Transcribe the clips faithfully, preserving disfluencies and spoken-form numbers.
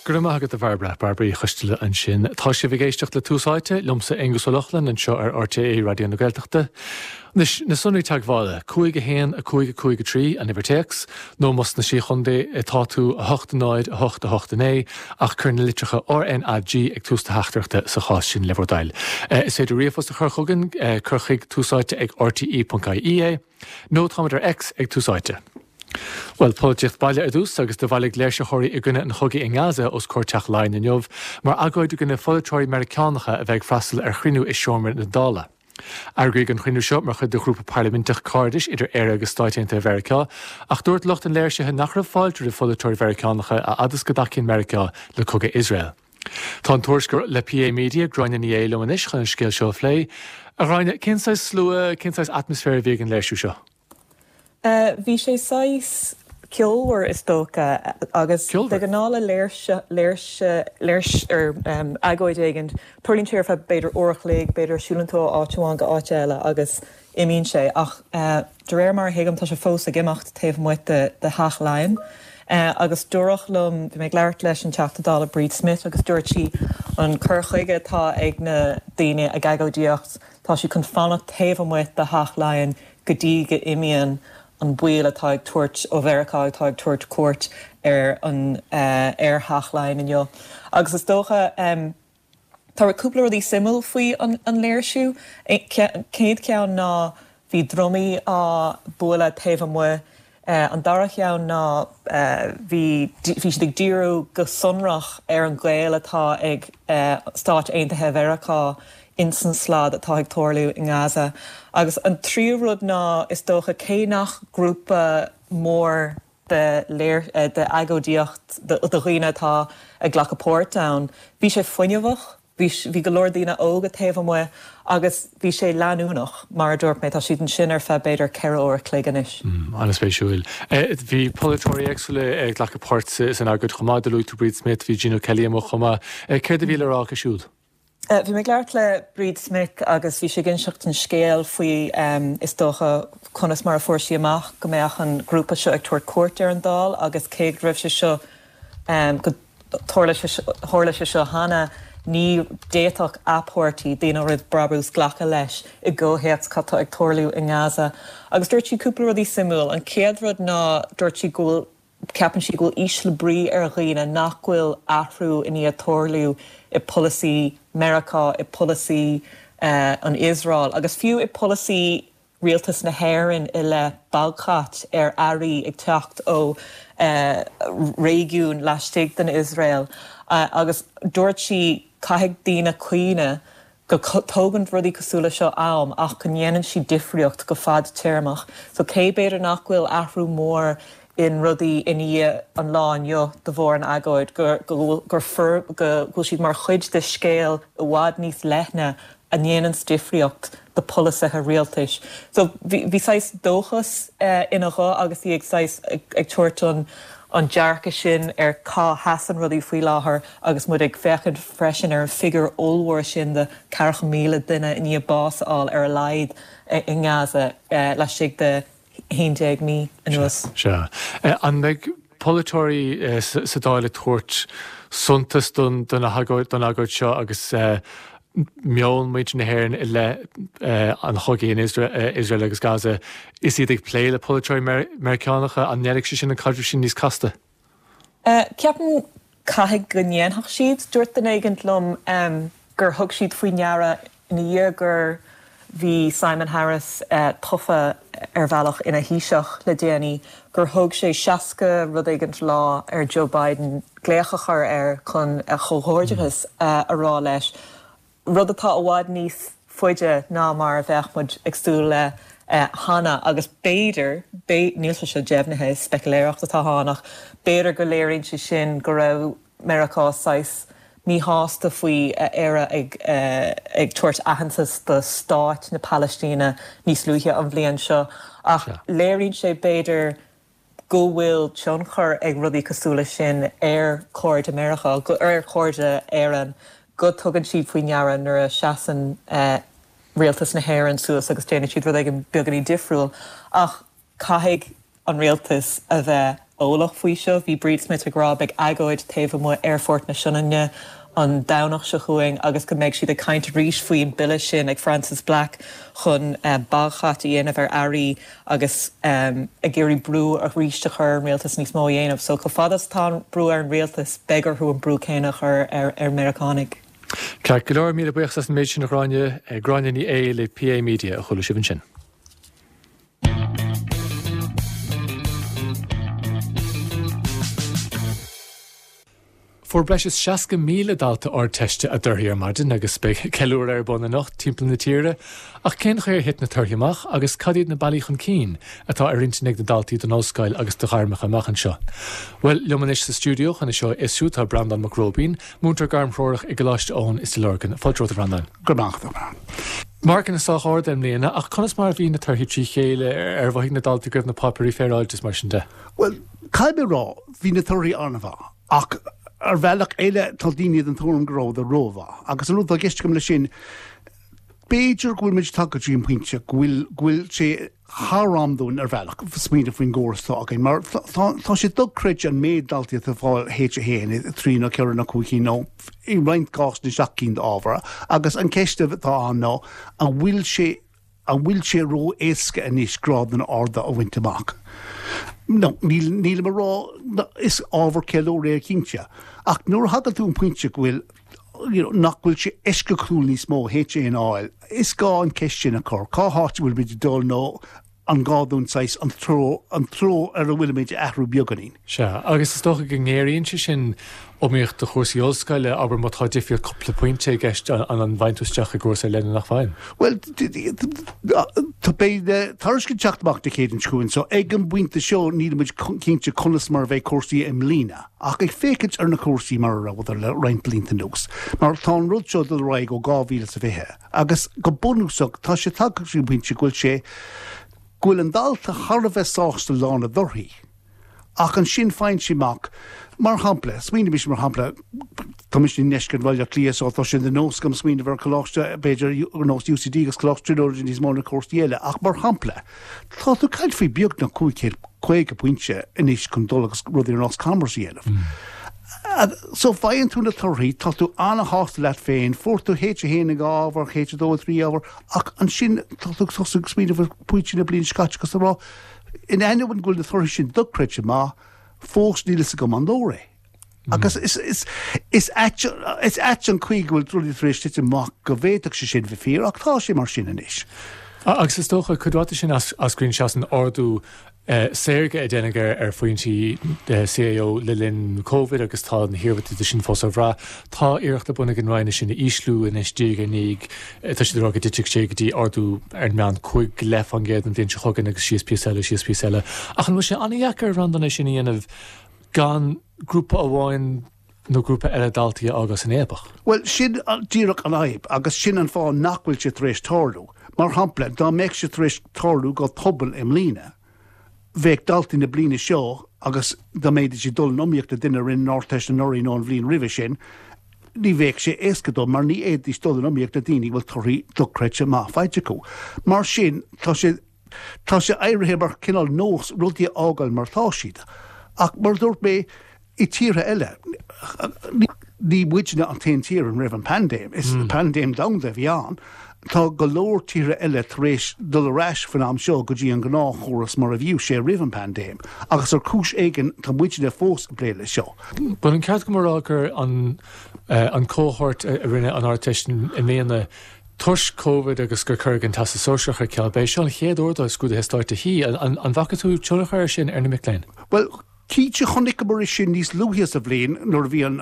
Go raibh maith agat a Bhairbre Bairbre Uí Choisteala ansin. Tá sibh ag éisteacht le Tús Áite liomsa Aengus Ó Lochlainn anseo ar RTÉ Raidió na Gaeltachta. Anois na sonraí teagmhála, cúig a haon a cúig a cúig a trí an uimhir téacs, nó más sna Sé Chontae atá tú a hocht náid a hocht a hocht a naoi ach cuir na litreacha RNAG ag tús do theachtaireachta sa chás sin le bhur dtoil. Is féidir ríomhphost a chur chugainn cuir chuig túsáite ag RTE.ie é, nó táimid ar X ag Tús Áite. Well polaitíocht baile ar dtús agus do bhailigh léirsitheoirí i gcoinne an chogaidh i nGaza os comhair Teach Laighean inniu, mar agóid i gcoinne pholaiteoirí Meiriceánacha a bheith ag freastal ar chruinniú i seomra na Dála. Eagraíodh an cruinniú seo mar chuid de ghrúpa parlaiminteach cairdis idir Éire agus Stáit Aontaithe Mheiriceá, ach dúirt lucht an léirsithe nach raibh fáilte roimh pholaiteoirí Mheiriceánacha a fhad is go dtacaíonn Meiriceá le cogadh Iosrael. Tá an tuairisceoir le PA Media Gráinne Ní Aodha liom anois chun an scéal seo a phlé. A Ghráinne, cén saghas slua, cén saghas atmaisféar a bhí ag an léirsiú seo? Uh, bhí sé saghas ceolmhar is dócha agus de ghnáth le léirse léirse léirs ar um, agóid éigin tarlaíonn sé ar feadh b'fhéidir uair a chloig b'fhéidir siúlann tú áit amháin go áit eile agus imíonn sé ach uh, de réir mar a thuigim tá sé fós ag imeacht taobh amuigh de, de Theach Laighean. Uh, agus dúradh liom bhí mé ag labhairt leis an Teachta Dála Bríd Smith agus dúirt sí an cur chuige atá ag na daoine ag agóidíocht tá sí chun fanacht taobh amuigh de Theach Laighean go dtí go n-imíonn an baill atá ag tabhairt ó Mheiriceá atá ag tabhairt cuairt ar an uh, ar Theach Laighean inniu. Agus is dócha um, Tá cúpla rudaí suimiúil faoi an, an léirsiú céad ceann ná bhí drumaí á bualadh taobh amuigh Uh, an dara ceann ná uh, bhí bhí siad ag díriú go sonrach ar an ghaol atá ag uh, Stáit Aontaithe Mheiriceá ins an slad atá ag tarlú i nGaza. Agus an tríú rud ná is dócha cé nach grúpa mór de léir de agóidíocht de dhaoine atá ag glacadh páirt ann. Bhí sé fuinneamhach, bhí go leor daoine óga taobh amuigh agus bhí sé leanúnach mar a dúirt mé tá siad ansin ar feadh b'fhéidir ceithre uair a chloig anois. Mm, An-spéisiúil. Bhí polaiteoirí éagsúla ag glacadh páirt san agóid chomh maith luaigh tú Bríd Smith, bhí Gino Kelly amuigh chomh maith. Céard a bhí le rá acu siúd? Bhí mé ag labhairt le Bríd Smith agus bhí sí ag inseacht an scéal faoi um, is dócha conas mar a fuair sí amach go mbeadh an grúpa seo ag tabhairt cuairt ar an Dáil agus cé go raibh sé seo um, go tharla sé seo cheana ní d'fhéadfadh a páirtí daoine roimh brabús glacadh leis i gcomhthéacs cad tá ag tarlú i nGaza. Agus dúirt sí cúpla rudaí suimiúil an chéad rud ná dúirt sí go bhfuil ceapann sí go bhfuil ísle brí ar dhaoine nach bhfuil athrú i ndiaidh tarlú i polasaí Meiriceá i polasaí uh, an Iosrael agus fiú i polasaí rialtas na hÉireann i leith baghcat ar earraí ag teacht ó uh, réigiún laistigh den Iosrael uh, agus dúirt sí caithfidh daoine cuimhneamh go dtógann rudaí cosúil leis seo am ach go ndéanann siad difríocht go fadtéarmach. So cé b'fhéidir nach bhfuil athrú mór in rudaí i ndiaidh an lá inniu de bharr an agóid gur gur gur go bhfuil siad mar chuid de scéal i bhfad níos leithne a ndéanann difríocht do pholasaithe rialtais. So bhí saghas dóchas uh, ina guth agus í ag saghas ag, ag tabhairt an an dearcadh sin ar cá sheasann rudaí faoi láthair agus muid ag féachaint freisin ar an figiúr ollmhór sin de ceathracha míle duine i ndiaidh bás a fháil ar a laghad i nGaza uh, laistigh de haon déag mí anuas. Sea. An mbeidh polaiteoirí sa Dáil ag tabhairt suntas don don agóid seo agus meon muintir na hÉireann i leith an chogaidh in Israel agus Gaza is iad ag plé le polaiteoirí Meiriceánacha an ndéanfaidh sé sin an caidreamh sin níos casta. Ceapaim caithfidh go ndéanfadh siad dúirt duine éigin liom gur thug siad faoi ndeara ina dhiaidh gur bhí Simon Harris uh, tofa ar bhealach ina Thaoiseach le déanaí gur thóg sé seasca rud éigin lá ar Joe Biden glaoch a chur air chun a chomhghairdeachas uh, a rá leis. Rud atá i bhfad níos faide ná mar a bheadh muid ag súil le uh, cheana agus b'fhéidir níl sé seo deimhnithe speiculéireacht atá ann ach b'fhéidir go léiríonn sé sin go raibh Meiriceá saghas míshásta faoi Éire ag ag tabhairt aitheantas do stáit na Palaistíne níos luaithe an bhliain seo ach léiríonn sé b'fhéidir go bhfuil tionchar ag rudaí cosúil leis sin ar chairde Meiriceá ar chairde Éireann go dtugann siad faoi ndeara nuair a seasann rialtas na hÉireann suas agus déanann siad rud éigin beagáinín difriúil ach caithfidh an rialtas a bheith eolach faoi seo. Bhí Bríd Smith ag rá beidh agóid taobh amuigh Aerfort na Sionainne an Domhnach seo chugainn agus go mbeidh siad ag caint arís faoin bille sin ag Frances Black chun uh, baghcat a dhéanamh ar earraí agus um, ag iarraidh brú arís a chur an rialtas níos mó a dhéanamh. So chomh fada is atá brú ar an rialtas beidh orthu an brú céanna a chur ar, ar Meiriceánaigh. Ceart go leor míle buíochas as an méid sin a Ghráinne Gráinne Ní Aodha le PA Media a chuala sibh ansin. Fuair breis is seasca míle dalta Ardteiste a dtorthaí ar maidin agus beidh ceiliúradh ar bun anocht timpeall na tíre, ach cén chaoi ar thit na torthaí amach agus cad iad na bealaí chun cinn atá ar intinn ag na daltaí don ollscoil agus do ghairmeacha amach anseo? Bhuel, liom anois sa stiúideo chun é seo a fhiosrú tá Breandán Mac Róibín, múinteoir gairmthreorach i gColáiste Eoin i Stigh Lorgan. Fáilte romhat a Bhreandáin. Go raibh maith agat. Marcanna sách ard i mbliana, ach conas mar a bhí na torthaí trí chéile ar mhothaigh na daltaí go raibh na páipéirí féaráilte is mar sin de? Bhuel, caithfidh mé a rá, bhí na torthaí an-mhaith, ach ar bhealach eile tá daoine den tuairim go rabhadar rómhaith. Agus an rud atá i gceist agam leis sin, b'fhéidir go bhfuil muid tagtha go dtí an pointe go bhfuil go bhfuil sé thar am dúinn ar bhealach smaoineamh faoin gcóras atá againn, mar tá sé dochreidte an méid daltaí atá ag fáil H a haon, a trí nó ceithre nó cúig cinn nó i roinnt cásanna seacht gcinn d'ábhar agus an ceist atá ann ná an bhfuil sé an bhfuil sé ró-éasca anois grádanna arda a bhaint amach? No, níl, nílim a rá, is ábhar ceiliúrtha é cinnte, ach nuair a thagann tú an pointe go bhfuil you know, nach bhfuil sé eisceachtúil níos mó H aon a fháil, is gá an ceist sin a chur, cá háit a bhfuil muid ag dul nó an gá dúinn saghas an treo, an treo ar a bhfuilimid a athrú beagáinín. Sea, agus is dócha go ngéaraíonn sé sin iomaíocht do chúrsaí ollscoile, abair má tá difríocht cúpla pointe i gceist, an an bhfaigheann tú isteach i gcúrsa ar leith nó nach bhfaigheann? Bhuel, tá beidh na tairiscint ag teacht amach Dé Céadaoin seo chugainn, so ag an bpointe seo nílimid cinnte conas mar a bheidh cúrsaí i mbliana. Ach ag féachaint ar na cúrsaí mar a rabhadar le roinnt blianta anuas, mar tá an rud seo ag dul ar aghaidh ó dhá mhíle is a fiche, agus go bunúsach tá sé tagtha go dtí an pointe go bhfuil sé, go bhfuil an dalta thar a bheith sásta lá na dtorthaí. Ach ansin faigheann sé amach, mar shampla, smaoinímis mar shampla, tá mise i ndeisceart Bhaile Átha Cliath so tá sé de nós agam smaoineamh ar choláiste, b'fhéidir, ar nós UCD agus Coláiste Tríonóide níos mó ná cúrsaí eile, ach mar shampla, tá tú ag caint faoi beagnach cúig chéad caoga pointe anois chun dul agus rudaí ar nós Commerce a dhéanamh. So faigheann tú na torthaí, tá tú an-shásta leat féin, fuair tú H a haon i dhá ábhar, H a dó i dtrí ábhar, ach ansin tá tú ag tosú ag smaoineamh ar phointí na bliana seo caite agus ag rá, in ainneoin go bhfuil na torthaí sin dochreidte maith, fós níl fhios agam an leor é. Agus is, is, is ait, is ait an chaoi go bhfuil rudaí tar éis titim amach go bhféadfadh sé sin bheith fíor, ach tá sé mar sin anois. Agus is dócha, cuid mhaith de sin eascraíonn sé as an ardú saorga a déanadh ar phointí CAO le linn Covid agus tá na hiarmhairtí de sin fós á bhrath. Tá iarracht ar bun ag an Roinn é sin a ísliú anois diaidh ar ndiaidh. Tá siad ag rá go dtitfidh sé go dtí ardú ar an meán cúig go leith faoin gcéad an bhliain seo chugainn agus síos píosa eile, síos píosa eile. Ach an bhfuil sé an-dheacair, a Bhreandáin, é sin a dhéanamh gan grúpa amháin nó grúpa eile daltaí a fhágáil san fhaopach? Bhuel, sin díreach an fhadhb agus sin an fáth nach bhfuil sé tar éis tarlú. Mar shampla, dá mbeadh sé tar éis tarlú go tobann i mbliana, bheadh daltaí na bliana seo agus dá mbeidís ag dul in iomaíocht le duine a rinne an Ardteist anuraidh nó an bhliain roimhe sin, ní bheadh sé éasca dóibh mar ní fhéadfaidís dul in iomaíocht le daoine a bhfuil torthaí dochreidte maith faighte acu. Mar sin, tá sé tá sé éirithe mar chineál nós rudaí a fhágáil mar atá siad. Ach mar a dúirt mé, i tíortha eile, ní muidne an t-aon tír ina raibh an paindéim, is paindéim domhanda a bhí ann. Tá go leor tíortha eile tar éis dul ar ais faoin am seo go dtí an gnáthchóras mar a bhíodh sé roimh an bpaindéim, agus ar chúis éigin tá muidne fós ag plé leis seo. Bhfuil an ceart agam a rá gur an an cohort a rinne an Ardteist i mbliana toisc Covid agus gur cuireadh an Teastas Sóisearach ar ceal, b'é seo an chéad uair dóibh scrúduithe stáit a shuí. An bhfaca tú tionchar air sin ar na mic léinn? Bhuel, cinnte chonaiceamar é sin níos luaithe sa bhliain nuair a bhí an,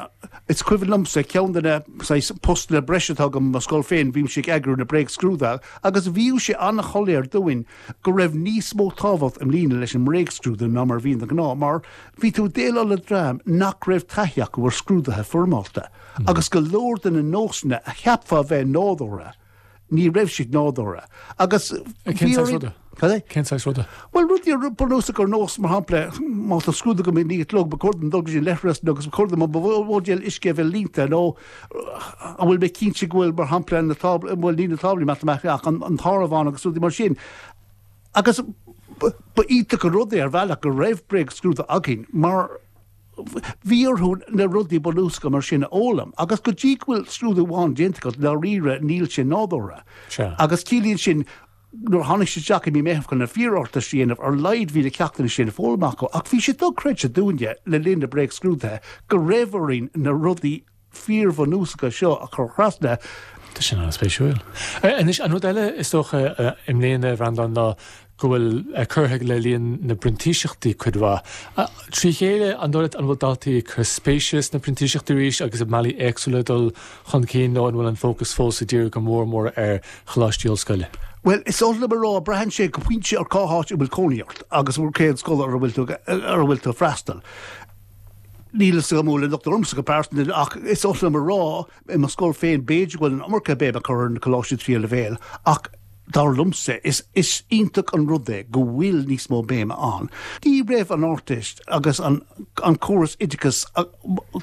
is cuimhin liomsa, ceann de na saghas postanna breise atá agam i mo scoil féin, bhímse ag eagrú na bréagscrúduithe agus bhíodh sé an-shoiléir dúinn go raibh níos mó tábhacht i mbliana leis an mbréagscrúdú ná mar a bhíonn de ghnáth mar bhí tú ag déileáil le dream nach raibh taithí acu ar scrúduithe foirmeálta agus go leor de na nósanna a cheapfá a bheith nádúrtha, ní raibh siad nádúrtha. Agus Cén saghas ruda? Cad é? Cén saghas ruda? Bhuel, rudaí bunúsach ar nós, mar shampla, má tá scrúdú agam ag naoi a chlog, ba chóir dom dul go dtí an leithreas nó agus ba chóir dom mo bhuidéal uisce a bheith líonta nó an bhfuil mé cinnte go bhfuil, mar shampla, na táblaí, bhuel, ní na táblaí matamaitice ach an, an t-áireamhán agus rudaí mar sin. Agus Ba iontach an rud é ar bhealach go raibh bréagscrúdú againn mar bhí orthu na rudaí bunúsacha mar sin a fhoghlaim agus go dtí go bhfuil scrúdú amháin déanta agat dáiríre níl sé nádúrtha. Agus ciallaíonn sin nuair a tháinig siad isteach i mí Meitheamh chun na fíor-Ardteist a dhéanamh ar a laghad bhí na ceachtanna sin foghlamtha acu ach bhí sé dochreidte dúinne le linn na bréagscrúduithe go raibh orainn na rudaí fíorbhunúsacha seo a chur trasna. Tá sin an-spéisiúil. Anois, an rud eile is dócha i mbliana, a Bhreandáin, ná go bhfuil curtha le líon na bprintíseachtaí cuid mhaith. Trí chéile, an dóigh leat an bhfuil daltaí ag cur spéise sna printíseachtaí arís agus i mbealaí éagsúla dul chun cinn nó an bhfuil an fócas fós ag díriú go mór mór ar choláistí ollscoile? Bhuel, is oth liom a rá, braitheann sé go pointe ar cá háit a bhfuil cónaí ort agus cén scoil ar a bhfuil tú ar a bhfuil tú ag freastal. Níl a fhios agam an bhfuil an locht ormsa go pearsanta ach is oth liom a rá, i mo scoil féin b'fhéidir go bhfuil an iomarca béime curtha ar na coláistí tríú leibhéal ach dar liomsa is is iontach an rud é go bhfuil níos mó béime ann. Ní raibh an Ardteist agus an an córas oideachais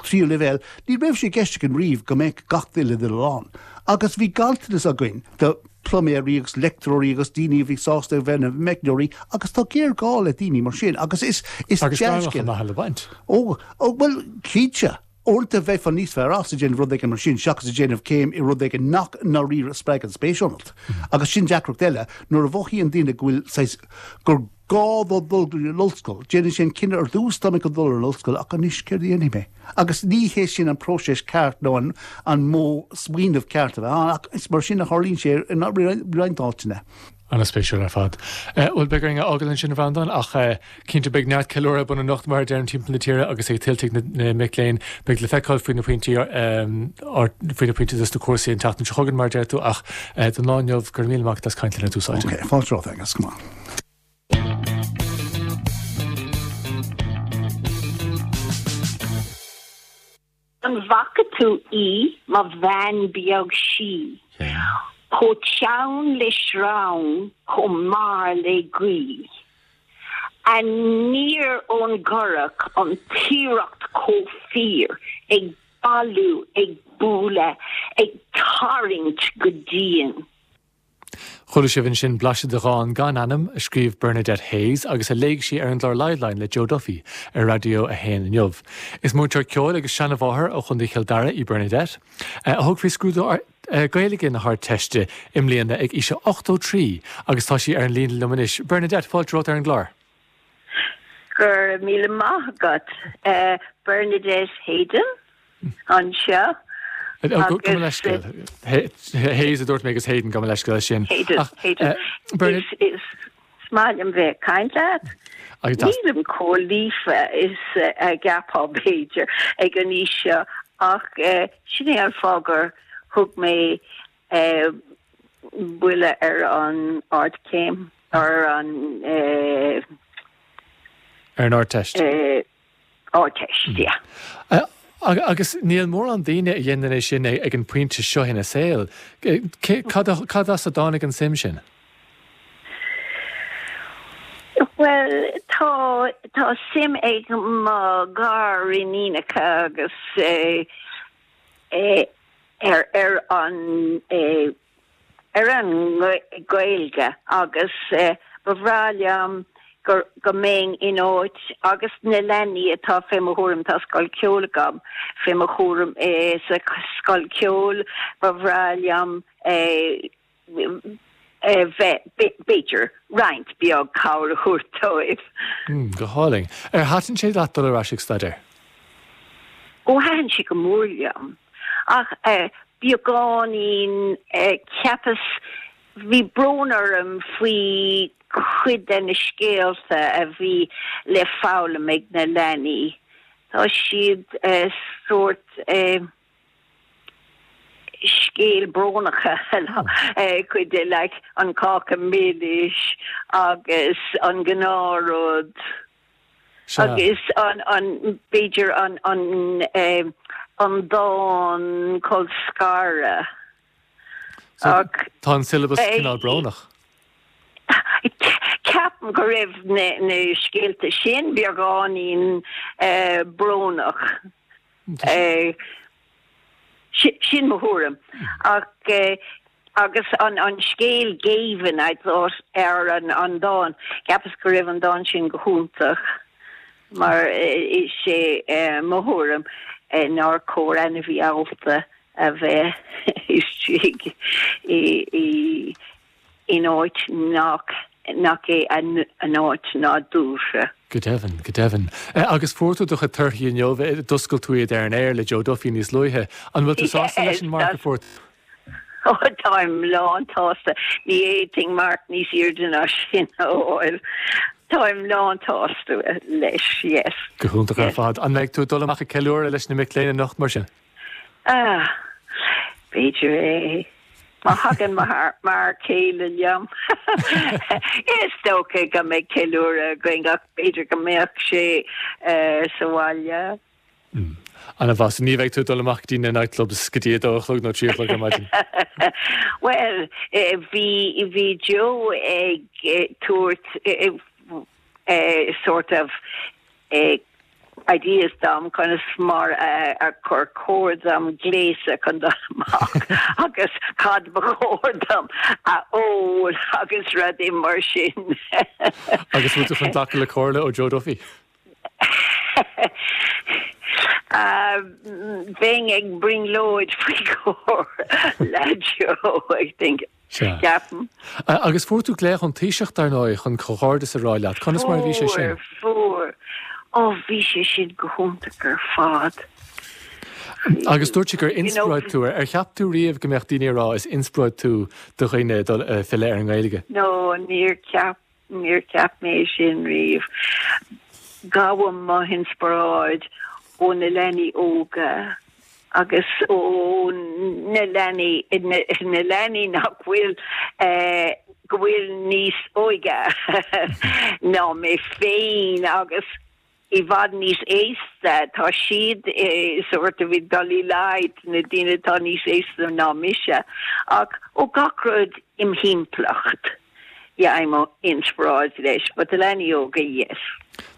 tríú leibhéal, ní raibh sé i gceist againn riamh go mbeadh gach duine ag dul ann. Agus bhí ganntanas againn de pluiméirí agus leictreoirí agus daoine a bhí sásta a bheith ina meicneoirí agus tá géarghá le daoine mar sin agus is is Agus gairmeacha maithe le baint. Ó, ó, bhuel, cinnte. Uaireanta bheifeá níos fearr as ag déanamh rud éigin mar sin seachas ag déanamh céim i rud éigin nach ndáiríre spreagann spéis ionat. Agus sin deacracht eile, nuair a mhothaíonn daoine go bhfuil saghas, gur gá dó dul go dtí an ollscoil, déanann sé an cinneadh ar dtús, tá mé chun dul ar an ollscoil ach anois céard a dhéanfaidh mé? Agus ní hé sin an próiseas ceart nó an an modh smaoinimh ceart a bheith ann ach is mar sin a tharlaíonn sé i roinnt áiteanna. An-spéisiúil ar fad. Bhuel, beidh orainn a fhágáil ansin, a Bhreandáin, ach cinnte beidh neart ceiliúrtha ar bun anocht, mar a deirim, timpeall na tíre agus ag tuiltigh na mic léinn. Beidh le feiceáil faoi na pointí, faoi na pointí dos na cúrsaí an tseachtain seo chugainn, mar a deir tú, ach don lá inniu, go raibh míle maith agat as caint linn ar Tús Áite. Ok, fáilte romhat, Aengus, go maith. An bhfaca tú í, mo bhean beag sí, chomh teann le sreang, chomh mear le gaoith, aniar ón gcurach, an tiaracht chomh fíor, ag bailiú, ag bualadh, ag tarraingt go dian. Chuala sibh ansin blaiseadh de dhán gan ainm a scríobh Bernadette Hayes agus a léigh sí ar an gclár Liveline le Joe Duffy ar Raidió a haon inniu. Is múinteoir ceoil agus seanmháthair ó Chontae Chill Dara í Bernadette, a thug faoi scrúdú Gaeilge na hArdteiste i mbliana ag aois a ochtó trí agus tá sí ar an líne liom anois. Bernadette, fáilte romhat ar an gclár. Go raibh míle maith agat. Bernadette Hayden anseo. Gabh mo leithscéal. Hayes a dúirt mé agus Hayden, gabh mo leithscéal as sin. Hayden, Hayden. Is maith liom bheith ag caint leat. Nílim chomh líofa is a gceapfá b'fhéidir ag an aois seo ach sin é an fáth gur thug mé buille ar an ardchéim, ar an. Ar an Ardteist. Ardteist, yeah. Agus níl mórán daoine a dhéanann é sin ag an bpointe seo ina saol. Cad as a dtáinig an suim sin? Bhuel, tá tá suim ag mo ghariníonacha agus ar ar an ar an nGaeilge agus ba bhreá liom gur go mbeinn in áit agus na leanaí atá fé mo chúram, tá scoil ceoil agam, fé mo chúram sa scoil ceoil, ba bhreá liom bheith, b'fhéidir, roinnt beag cabhair a thabhairt dóibh. Go hálainn. Ar thaitin sé leat dul ar ais ag staidéar? Ó, thaitin sé go mór liom. Ach beagáinín, cheapas, bhí brón orm faoi chuid de na scéalta a bhí le foghlaim ag na leanaí. Tá siad sórt scéal brónacha, cuid de, like an cáca milis agus an gnáthrud agus an, an, b'fhéidir an, an, an dán colscartha. Ach tá an syllabus cineál brónach. Ceapaim go raibh na scéalta sin beagáinín brónach. Sin mo thuairim. Ach Agus an an scéal Géibheann I thought ar an an dán cheapas go raibh an dán sin go hiontach mar is sé mo thuairim nár chóir ainmhí allta a bheith istigh i i in áit nach nach é an áit nádúrtha. Go deimhin, go deimhin. Agus fuair tú do chuid torthaí inniu, d'oscail tú iad ar an aer le Joe Duffy níos luaithe. An bhfuil tú sásta leis an marc a fuair? Ó táim lán-tsásta. Ní fhéadfainn marc níos airde ná sin a fháil. Táim lán-tsásta leis, yes. Go hiontach ar fad. An mbeidh tú ag dul amach ag ceiliúradh leis na mic léinn anocht mar sin? Ah, b'fhéidir é. Má thagann m'fhear céile liom. Is dócha go mbeidh ceiliúradh againn ach b'fhéidir go mbeadh sé sa bhaile. An-mhaith, ní bheidh tú ag dul amach go dtí na nightclubs go dtí a dó a chlog nó trí a chlog ar maidin. Well, bhí bhí Joe ag tabhairt sort of ideas dom conas mar a gur chóir dom gléasadh chun dul amach agus cad ba chóir dom a ól agus rudaí mar sin. Agus bhfuil tú chun glacadh le comhairle ó Joe Duffy? Bheinn ag brionglóid faoi chomhairle le Joe, I think. Ceapaim. Agus fuair tú glaoch ón Taoiseach, dar ndóigh, chun comhghairdeas a rá leat. Conas mar a bhí sé sin? Fuair, fuair. Ó, bhí sé sin go hiontach ar fad. Agus dúirt sé gur inspioráid tú. Ar cheap tú riamh go mbeadh daoine ag rá is inspioráid tú do dhaoine dul filleadh ar an nGaeilge? No, níor cheap, níor cheap mé sin riamh. Gabhaim mo inspioráid ó na leanaí óga. agus ó na leanaí na leanaí nach bhfuil go bhfuil níos óige ná mé féin agus i bhfad níos aosta tá siad sort of ag dul i laghad na daoine atá níos aosta ná mise ach ó gach rud im thimpeallacht. Fhaighim inspioráid leis, but na leanaí óga, yes.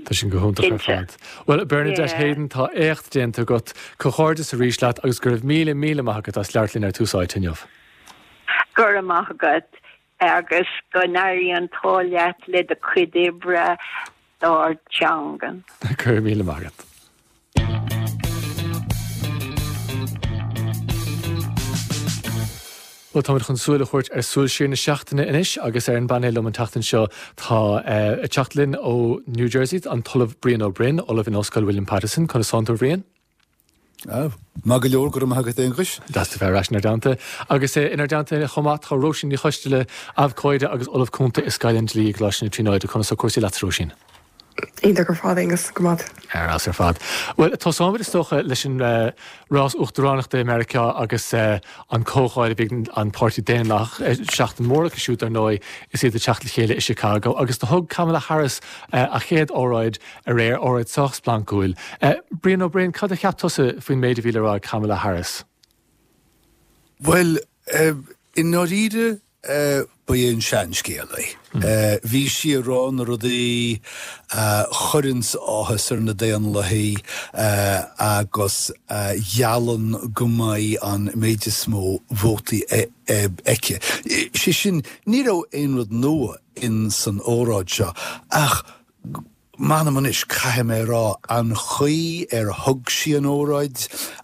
Tá sin go hiontach ar fad. Bhuel, Bernadette Hayden, tá éacht déanta agat. Comhghairdeas arís leat agus go raibh míle míle maith agat as labhairt linn ar Tús Áite inniu. Go raibh maith agat agus go n-éirí an t-ádh leat le do chuid oibre dár dteanga. Go raibh míle maith agat. Bhuel, táimid chun súil a thabhairt ar Súil Siar na Seachtaine anois agus ar an bpainéal liom an tseachtain seo tá ag teacht linn ó New Jersey an tOllamh Brian Ó Broin, Ollamh in Ollscoil William Paterson. Conas tánn tú, a Bhriain? Maith go leor, go raibh maith agat, Aonghuis. Deas tú bheith ar ais inár dteannta. Agus inár dteannta chomh maith tá Róisín Ní Choisteala, abhcóide agus Ollamh Cúnta i Scoil an Dlí i gColáiste na Tríonóide. Conas tá cúrsaí leat, Róisín? Iontach ar fad, Aonghus, go maith. Ar fheabhas ar fad. Bhuel, tosóimid is dócha leis an rás uachtaránachta i Meiriceá agus an comhdháil a bhí ag an Páirtí Daonlathach, seachtain mhór acu siúd dar ndóigh, is iad ag teacht le chéile i Chicago agus do thug Kamala Harris a chéad óráid aréir, óráid sách splancúil. Brian Ó Broin, cad a cheap tusa faoin méid a bhí le rá ag Kamala Harris? Bhuel, i ndáiríre, ba é an seanscéal é. Bhí sí ag rá na rudaí a chuireanns áthas ar na Daonlathaigh agus a gheallann go mbeidh an méid is mó vótaí aici. Sé sin, ní raibh aon rud nua in san óráid seo ach M'anam anois, caithfidh mé a rá, an chaoi ar thug sí an óráid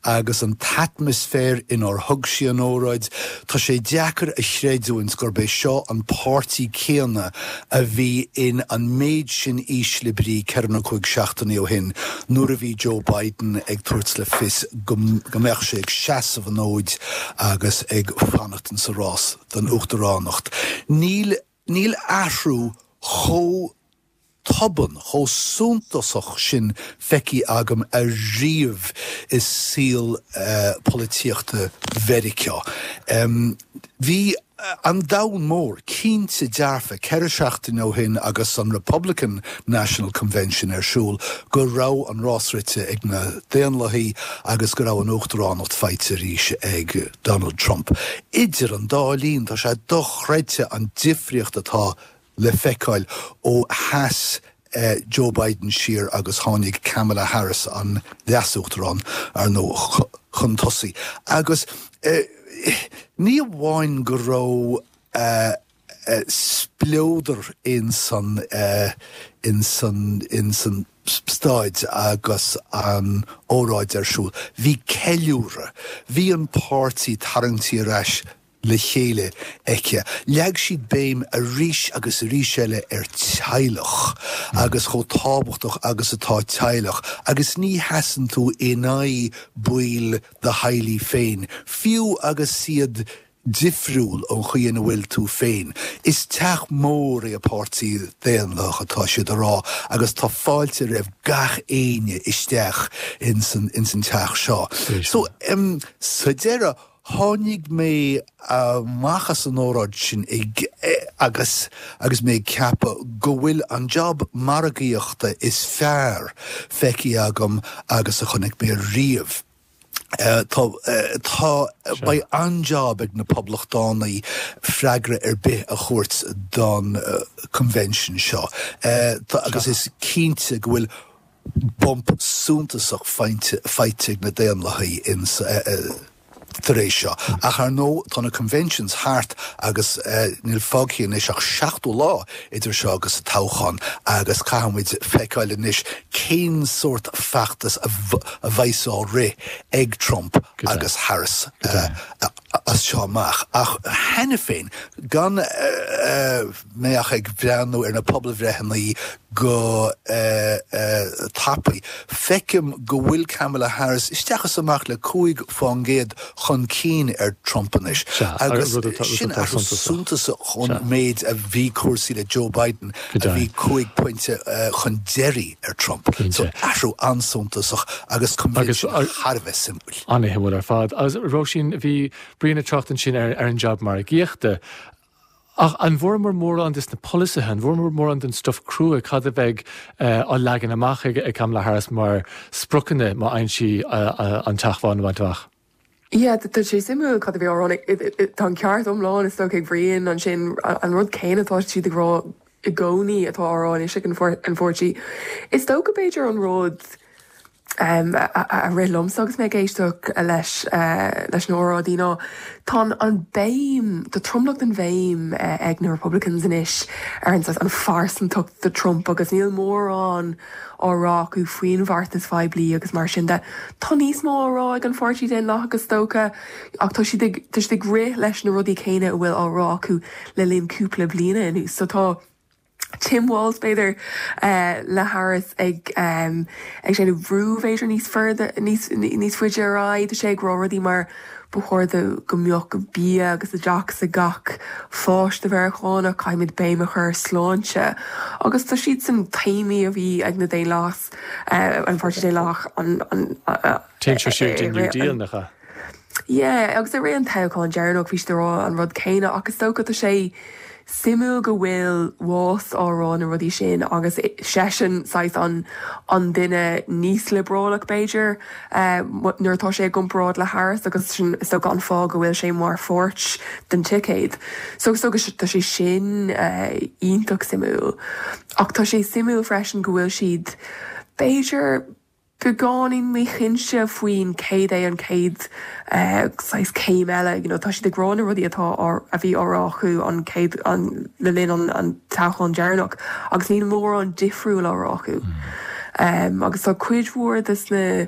agus an t-atmaisféar inar thug sí an óráid, tá sé deacair a chreidiúint gurb é seo an páirtí céanna a bhí in an méid sin ísle brí ceithre nó cúig seachtainí ó shin nuair a bhí Joe Biden ag tabhairt le fios go mbeadh sé ag seasamh an fhóid agus ag fanacht insa rás don uachtaránacht. Níl níl athrú chomh tobann, chomh suntasach sin feicthe agam ariamh i saol polaitíochta Mheiriceá. Bhí an domhan mór cinnte dearfa ceithre seachtaine ó shin agus an Republican National Convention ar siúl go raibh an rás rite ag na Daonlathaigh agus go raibh an uachtaránacht faighte arís ag Donald Trump. Idir an dá linn, tá sé dochreidte an difríocht atá le feiceáil ó sheas Joe Biden siar agus tháinig Kamala Harris, an leas-uachtarán, ar ndóigh, chun tosaigh. Agus Ní amháin go raibh spleodar in san in san in san staid agus an óráid ar siúl. Bhí ceiliúradh, bhí an páirtí tarraingtí ar ais le chéile aici. Leag siad béim arís agus arís eile ar teaghlach agus chomh tábhachtach agus atá teaghlach agus ní sheasann tú in aghaidh baill do theaghlaigh féin, fiú agus iad difriúil ón chaoi ina bhfuil tú féin. Is teach mór é an Páirtí Daonlathach atá siad a rá agus tá fáilte roimh gach éinne isteach ins an ins an teach seo. So um, sa deireadh tháinig mé amach as an óráid sin ag agus agus mé ag ceapadh go bhfuil an job margaíochta is fearr feicthe agam agus a chonaic mé riamh. Tá tá beidh an-job ag na poblachtánaigh freagra ar bith a thabhairt don convention seo. Agus is cinnte go bhfuil bump suntasach faighte ag na Daonlathaigh ins tar éis seo. Ach ar ndóigh tá na conventions thart agus níl fágtha anois ach seachtó lá idir seo agus an toghchán agus caithfimid feiceáil anois cén sórt feachtas a bheas á rith ag Trump agus Harris as seo amach. Ach cheana féin, gan mé ach ag breathnú ar na pobalbhreitheanna go tapaidh, feicim go bhfuil Kamala Harris isteach is amach le cúig faoin gcéad chun cinn ar Trump anois. Agus sin athrú suntasach ón méid a bhí cúrsaí le Joe Biden a bhí cúig pointe chun deiridh ar Trump. So athrú an-suntasach agus convention thar a bheith suimiúil. An-shuimiúil ar fad. Agus Róisín, bhí Brian ag trácht ansin ar an jab margaíochta. Ach an bhfuaireamar mórán des na polasaithe, an bhfuaireamar mórán den stuif crua, cad a bheidh á leagan amach ag Kamala Harris mar spriocanna má fhaigheann sí an Teach Bán a bhaint amach? Yeah, tá sé suimiúil cad a bhí á rá. Tá an ceart iomlán is dócha ag Brian ansin, an rud céanna atá siad ag rá i gcónaí atá á rá anois ag an pháirtí. Is dócha b'fhéidir an rud a rith liomsa agus mé ag éisteacht leis leis na hóráidí ná tá an béim, tá tromlach den bhéim ag na Republicans anois ar an an phearsantacht de Trump agus níl mórán á rá acu faoin bheartas phoiblí agus mar sin de. Tá níos mó á rá ag an Pháirtí Daonlathach is dócha ach tá siad ag tá siad ag rith leis na rudaí céanna a bhfuil á rá acu le linn cúpla bliana anuas. So tá Tim Walz b'fhéidir le Harris ag ag déanamh brú b'fhéidir níos further níos níos faide ar aghaidh. Tá sé ag rá rudaí mar ba chóir do go mbeadh bia agus oideachas ag gach pháiste Mheiriceánach, caithfimid béim a chur ar sláinte. Agus tá siad san téamaí a bhí ag na Daonlathas an Pháirtí Daonlathach an an Téann sé siar den New Deal nach ea? Yeah, agus i rith an toghcháin deireanach bhí siad ag rá an rud céanna ach is dócha tá sé suimiúil go bhfuil Walz á rá na rudaí sin agus seisean saghas an an duine níos liobrálach b'fhéidir nuair atá sé i gcomparáid le Harris agus sin is dócha an fáth go bhfuil sé mar pháirt den ticéad. So is dócha tá sé sin iontach suimiúil. Ach tá sé suimiúil freisin go bhfuil siad b'fhéidir beagáinín míchinnte faoin céad é an chéad saghas céim eile. You know, tá siad ag rá na rudaí atá a bhí á rá acu an chéad an le linn an, an toghchán deireanach agus níl mórán difriúil á rá acu. Um, agus tá cuid mhór des na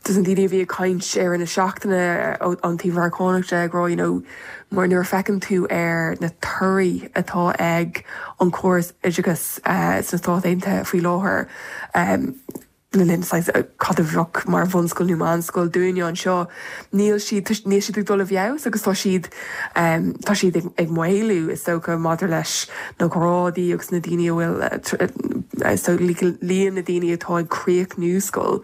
des na daoine a bhí ag caint ar na seachtaine an taobh Mheiriceánach de ag rá you know, mar nuair a feiceann tú ar na torthaí atá ag an córas oideachais uh, sna Stáit Aontaithe faoi láthair um, le linn cad a bheadh mar bhunscoil nó meánscoil dúinne anseo, níl siad níl siad ag dul i bhfeabhas agus tá siad tá siad ag maolú is dócha maidir leis na grádaí agus na daoine a bhfuil so líon na daoine atá ag críochnú scoil.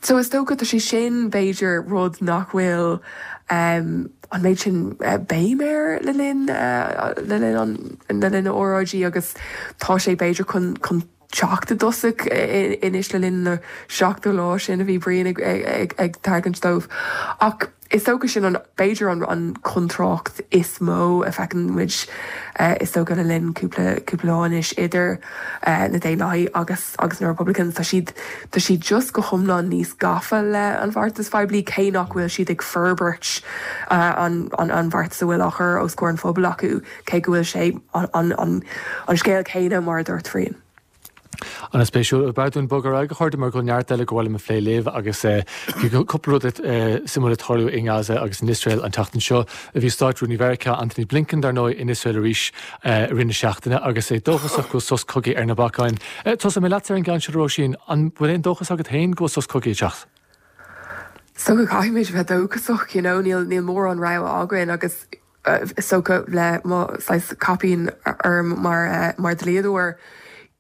So is dócha tá sé sin b'fhéidir rud nach bhfuil um, an méid sin béim air le linn le linn an le linn na óráidí agus tá sé b'fhéidir chun chun teacht i dtosach anois le linn na seachtó lá sin a bhí Brian ag, ag, ag, ag tagairt dóibh. Ach is dócha sin an b'fhéidir an an contrácht is mó a fheiceann muid is dócha le linn cúpla cúpla lá anois idir na Daonlathaigh agus agus na Republicans. Tá siad tá siad just go hiomlán níos gafa le an bheartas phoiblí cé nach bhfuil siad ag forbairt an an an bheartas a bhfuil á chur os comhair an phobail acu cé go bhfuil sé an an an an scéal céanna mar a dúirt Brian. An-spéisiúil. B'fhearr dúinn bogadh ar aghaidh a chairde mar go bhfuil neart eile go bhfuil a phlé libh agus bhí cúpla rud suimiúil ag tarlú i nGaza agus in Iosrael an tseachtain seo. Bhí Státrúnaí Mheiriceá Antony Blinken dar ndóigh in Iosrael arís i rith na seachtaine agus é dóchasach go bhfuil sos cogaidh ar na bacáin. Tosóidh mé leatsa ar an gceann seo Róisín, an bhfuil aon dóchas agat féin go bhfuil sos cogaidh ag teacht? So go caithfimid bheith dóchasach, you know, níl níl mórán rogha againn agus is dócha le mo saghas caipín orm mar mar dlíodóir,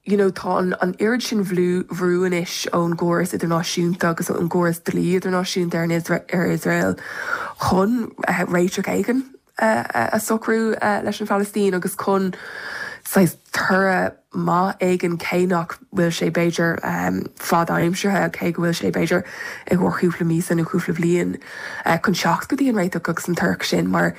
you know, tá an, an oiread sin bhrú bhrú anois ón gcóras idirnáisiúnta agus ón gcóras dlí idirnáisiúnta ar an ar Iosrael chun uh, réiteach éigin uh, a socrú uh, leis an Phalaistín agus chun saghas toradh maith éigin cé nach bhfuil sé b'fhéidir um, fad-aimseartha cé go bhfuil sé b'fhéidir i gcomhair cúpla míosa nó cúpla bliain uh, chun teacht go dtí an réiteach agus an toradh sin mar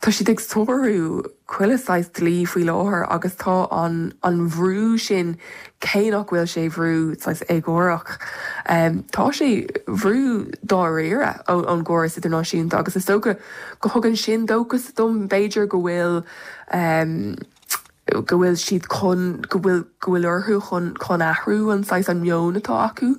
tá siad ag sárú chuile saghas dlí faoi láthair agus tá an an bhrú sin cé nach bhfuil sé brú saghas éagórach. Um, tá sé brú dáiríre ón gcóras idirnáisiúnta agus is dócha go thugann sin dóchas dom b'fhéidir go bhfuil um, go bhfuil siad chun go bhfuil go bhfuil orthu chun chun athrú an saghas an meon atá acu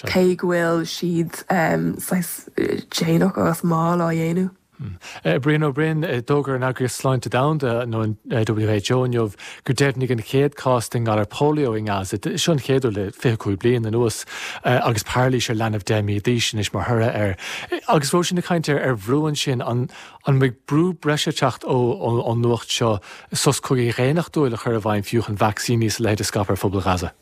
cé go bhfuil siad um, saghas déanach agus mall á dhéanamh. Hmm. Brian Ó Broin d'fhógair an Eagraíocht Sláinte Domhanda nó an WHO inniu gur deimhníodh an chéad chás den ghalar polio i nGaza. Seo an chéad uair le fiche cúig bliain anuas agus pairlís ar leanbh deich mí d'aois anois mar thoradh air. Agus Róisín ag caint ar bhrú ansin an an mbeidh brú breise ag teacht ón nuacht seo sos cogaidh dhaonnachtúil a chur i bhfeidhm fiú chun vacsaíní is a leithéid a scaipeadh ar phobal Ghaza.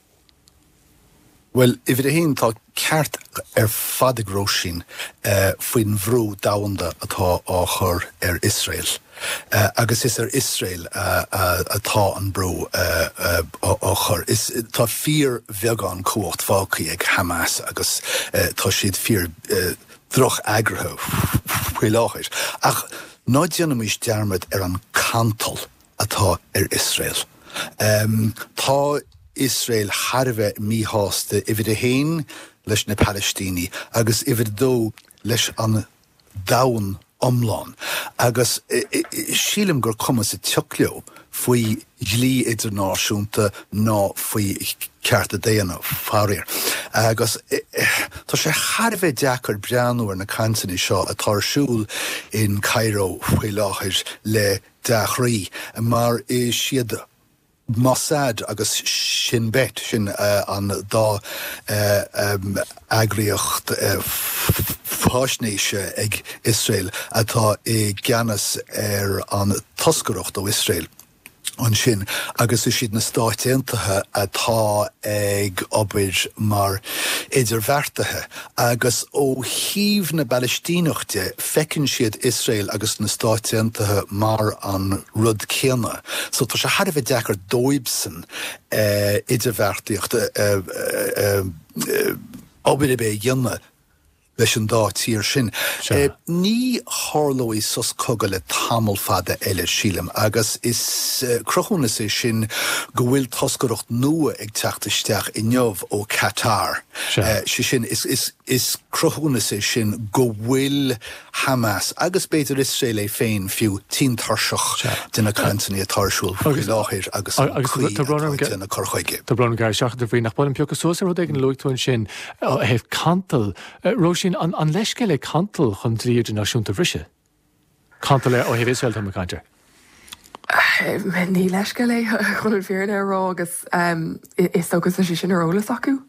Bhuel, uimhir a haon, tá ceart ar fad ag Róisín faoin bhrú domhanda atá á chur ar Iosrael. Agus is ar Iosrael atá an brú á chur. Is tá fíorbheagán cumhacht fágtha ag Hamas agus tá siad fíor droch-eagraithe faoi láthair. Ach ná déanaimis dearmad ar an cantal atá ar Iosrael. Tá Iosrael thar a bheith míshásta, uimhir a haon leis na Palaistínigh agus uimhir a dó leis an domhan iomlán. Agus sílim gur cuma sa tsioc leo faoi dhlí idirnáisiúnta ná faoi chearta daonna, faraor. Agus tá sé thar a bheith deacair breathnú ar na cainteanna seo atá ar siúl in Cairo faoi láthair le dea-chroí, mar is iad Mossad agus Shin Bet, sin an dá eagraíocht faisnéise ag Iosrael atá i gceannas ar an toscaireacht ó Iosrael ansin, agus is iad na Stáit Aontaithe atá ag obair mar idirbheartaithe. Agus ó thaobh na bPalaistíneach de, feiceann siad Iosrael agus na Stáit Aontaithe mar an rud céanna. So tá sé thar a bheith deacair dóibhsan idirbheartaíocht, obair ar bith a dhéanamh leis an dá tír sin. Ní tharlóidh sos cogaidh le tamall fada eile, sílim, agus is cruthúnas é sin go bhfuil toscaireacht nua ag teacht isteach inniu ó Qatar. Sé sin, is cruthúnas é sin go bhfuil Hamas, agus b'fhéidir Iosrael é féin fiú, tinn tuirseach de na cainteanna atá ar siúl faoi láthair agus an chaoi atá ag déanamh cur chuige. Tá brón orm gearradh isteach ort a Bhriain, ach ba mhaith liom piocadh suas ar rud éigin a luaigh tú ansin ó thaobh cantal. Róisín, an leithscéal é cantal chun dlí idirnáisiúnta a bhriseadh? Cantal ó thaobh Iosrael, táim ag caint air. Ní leithscéal é chun an fírinne a rá agus is dócha tá sé sin ar eolas acu.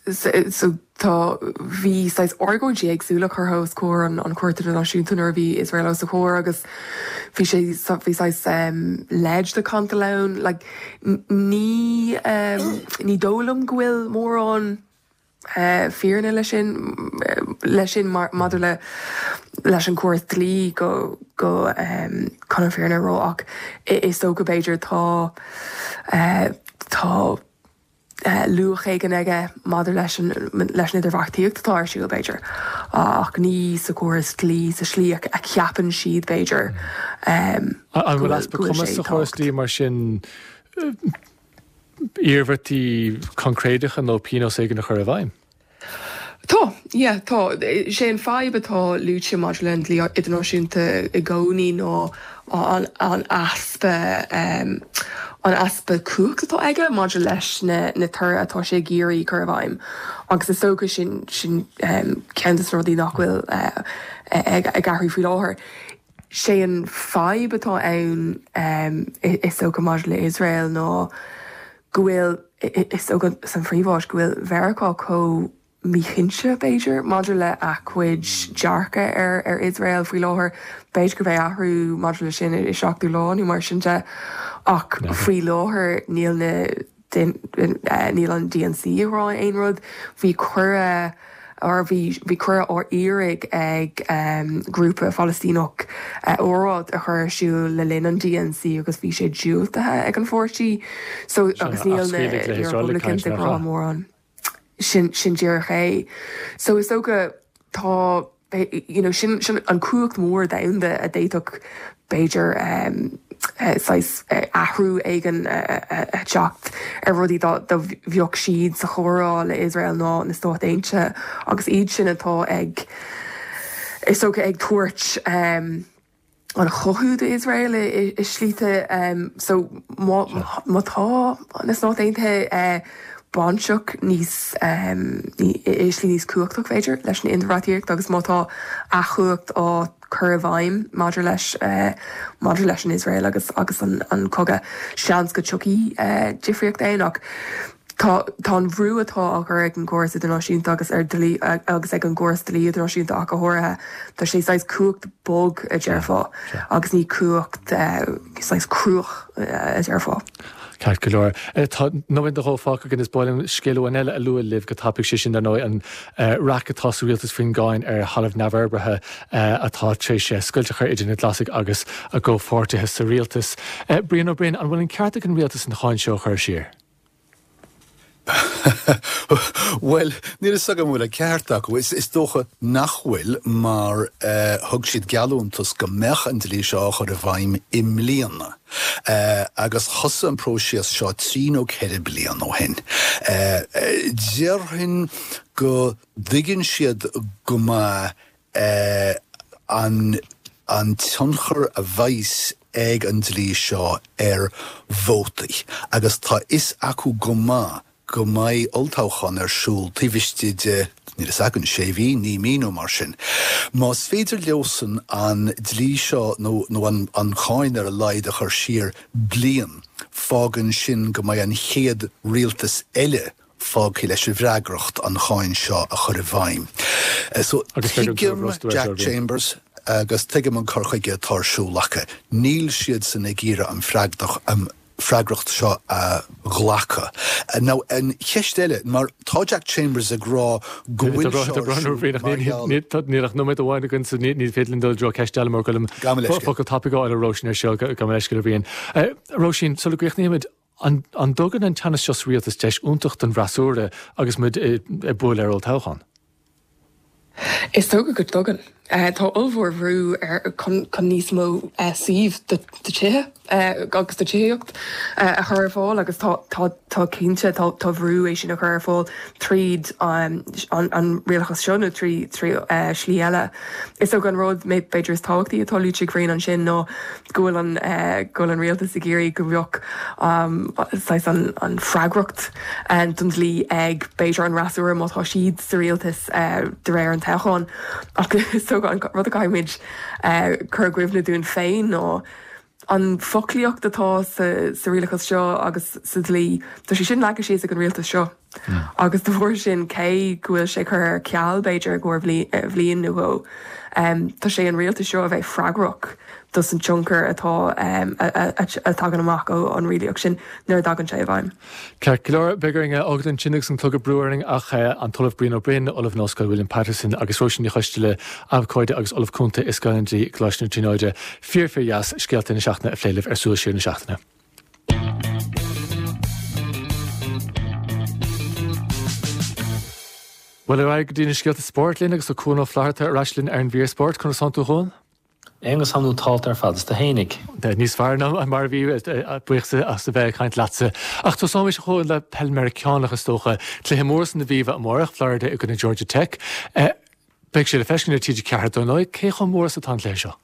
So tá bhí saghas argóintí éagsúla curtha os comhair an an Chúirt Idirnáisiúnta nuair a bhí Iosrael os a chomhair agus bhí sé bhí saghas leid de cantal ann. Like ní ní dóigh liom go bhfuil mórán fírinne leis sin leis sin maidir le leis an gcóras dlí go go chun an fírinne a rá ach is dócha b'fhéidir tá tá luach éigin aige maidir leis an leis an idirbheartaíocht atá ar siúl b'fhéidir ach ní sa chóras dlí sa slí a cheapann siad b'fhéidir. An bhfuil easpa cumas sa chóras dlí mar sin iarmhairtí coincréideacha nó pionós éigin a chur i bhfeidhm? Tá, yeah, tá. Sé an fadhb atá luaite maidir le an dlí idirnáisiúnta i gcónaí ná an an easpa um, an easpa cumhacht atá aige maidir leis na na torthaí atá sé ag iarraidh cur i bhfeidhm. Agus is dócha sin sin um, ceann de na rudaí nach bhfuil uh, ag ag athrú faoi láthair. Sé an fadhb atá ann um, is dócha maidir le Iosrael ná go bhfuil is dócha san phríomháit go bhfuil Mheiriceá chomh míchinnte b'fhéidir maidir le a cuid dearcadh ar ar Iosrael faoi láthair b'fhéidir go mbeidh athrú maidir le sin i seachtú lá nó mar sin de ach faoi láthair níl na níl an D N C ag rá aon rud. Bhí cuireadh or bhí bhí cuireadh á iarraidh ag um, grúpa Phalaistíneach uh, óráid a chur ar siúl le linn an D N C agus bhí sé diúltaithe ag an pháirtí so agus níl na Republicans ag rá mórán sin sin díreach é. So is dócha tá you know, sin, sin an cumhacht mór domhanda a d'fhéadfadh b'fhéidir um, uh, uh, athrú éigin uh, uh, teacht ar rudaí dá bheadh siad sa chomhrá le Israel ná na Stáit Aontaithe agus iad sin atá ag is dócha ag tabhairt um, an chothú do Israel i, i slite um, so má má tá na Stáit Aontaithe uh, bainteach níos um, i slí níos cumhachtach b'fhéidir leis an idirbheartaíocht agus má tá a chumhacht á cur i bhfeidhm maidir leis uh, maidir leis an Israel agus agus an, an cogadh seans go dtiocfaidh uh, difríocht ann ach Tá tá an brú atá á chur ag an gcóras idirnáisiúnta agus ar dlí agus ag an gcóras dlí idirnáisiúnta ach go háirithe Tá sé saghas cumhacht bog a déarfá agus ní cumhacht uh, saghas cruach uh, a déarfá. Ceart go leor. Tá nóiméad nó dhó fágtha againn is ba mhaith liom scéal amháin eile a lua libh go tapaidh sé sin ar ndóigh an raic atá sa rialtas faoin gcáin ar thalamh neamhfhorbartha atá tar éis scoilt a chur idir na Glasaigh agus a gcomhpháirtithe sa rialtas. Brian Ó Broin, an bhfuil an ceart ag an rialtas an cháin seo a chur siar? Well, níl a fhios agam bhfuil an ceart acu is, is dócha nach bhfuil mar uh, thug siad geallúntas go mbeadh an dlí seo á chur i bhfeidhm i mbliana. Uh, agus thosaigh an próiseas seo trí nó ceithre bliana ó shin. Uh, Déarfainn go dtuigeann siad go maith uh, an, an tionchar a bheas ag an dlí seo ar vótaí, agus tá fhios acu go maith go mbeidh olltoghchán ar siúl taobh istigh de níl a fhios agam sé mhí naoi mí nó mar sin. Más féidir leosan an dlí seo nó, nó an, an cháin ar a laghad a chur siar bliain, fágann sin go mbeidh an chéad rialtas eile fágtha leis an bhfreagracht an cháin seo a chur i bhfeidhm. So tuigim Jack Chambers agus tuigim an cur chuige atá ar siúl acu. Níl siad san ag iarraidh an freagrach an freagracht seo a ghlacadh. Now an cheist eile mar tá Jack Chambers ag rá go bhfuil Níl ach nóiméad amháin againn sa ní féidir linn dul dro ceist eile mar go focal tapaidh ar Róisín ar seo go leis go bhíonn. Róisín sula gcríochnaímid an an dtugann an teannas seo sa rialtas deis iontach don bhfreasúra agus muid ag bualadh ar olltoghchán. Is dócha go dtugann. Uh, tá ollmhór bhrú ar chun níos mó uh, suíomh do tithe uh, agus do tithíocht uh, a chur ar fáil agus tá tá cinnte tá tá brú é sin a chur ar fáil tríd um, an, an rialachas seo nó trí trí uh, slí eile. Is dócha an rud mé b'fhéidir is tábhachtaí atá luaite ag Brian ansin ná go bhfuil an uh, go bhfuil an rialtas ag iarraidh go mbeadh um, an, an freagracht um, don dlí ag b'fhéidir an fhreasúra má tá siad sa rialtas uh, de réir an toghcháin ach so an rud a chaithfimid uh, cur i gcuimhne dúinn féin ná an foclaíocht atá sa, sa rialachas seo agus sa dlí Tá sé sin leagtha síos ag an rialtas seo. Mm. Agus de bharr sin cé go bhfuil sé curtha ar ceal b'fhéidir go bhliain nó dhó. Um, tá sé an rialtas seo a bheith freagrach dos an tionchar atá um, a thagann amach ó an reachtaíocht sin nuair a thagann sé i bhfeidhm. Ceart go leor beidh orainn fágáil ansin agus an clog ag brú orainn ach an tOllamh Brian Ó Broin, Ollamh in Ollscoil William Patterson agus Róisín Ní Choisteala abhcóide agus Ollamh Cúnta i Scoil an Dlí Coláiste na Tríonóide fíor fíor dheas scéalta na seachtaine a phlé libh ar Súil Siar na Seachtaine. Bhuel ar aghaidh go dtí na scéalta spóirt linn agus tá Cuan Ó Flatharta ar ais linn ar an mhír spóirt. Conas tánn tú a Chuain? Aonghus thá tú ar fad is tú fhéinig. Níos fearr ná mar a bhí buíochas as a bheith ag caint leatsa. Ach tosóimis a Chuain le peil Meiriceánach is dócha. Cluiche mór san Aviva amárach, Florida i gcoinne Georgia Tech. Beidh sé le feiscint ar T G ceathair dar ndóigh. Cé chomh mór is atá an cluiche seo?